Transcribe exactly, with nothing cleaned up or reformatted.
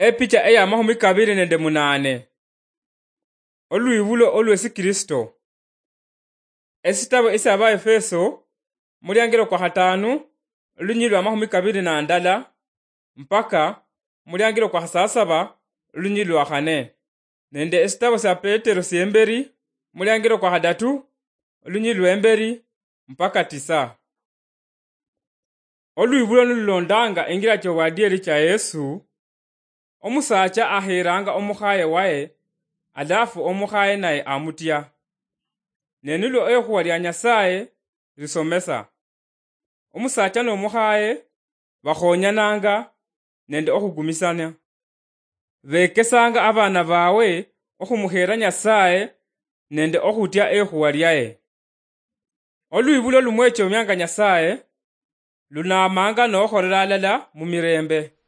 Epicha eya mahumi kabiri nende munane. Olwibulo olwesi Kristo. Esitabo esya Abaefeso, muliangilo kwa hatano, olunyili lwa mahumi kabiri na ndala, mpaka muliangilo kwa hasasaba, olunyili lwa hane. Nende esitabo sya Petero syemberi, muliangilo kwa hadatu, olunyili lwemberi, mpaka tisa. Olwibulo nilulondanga engira kyobwadieri kya Yesu, omusacha aheranga omukhaye waye, alafu omukhaye naye amutya. Ne nilwo ekhuwa lya Nyasaye lisomesa. Omusacha nomukhaye bakhonyananga nende okhukumisania. Bekesanga abana bawe okhumukhera Nyasaye nende okhutya ekhuwa lyaye. Olwibulo lumwechomianga Nyasaye, lunamanga nokhorera alala mumirembe.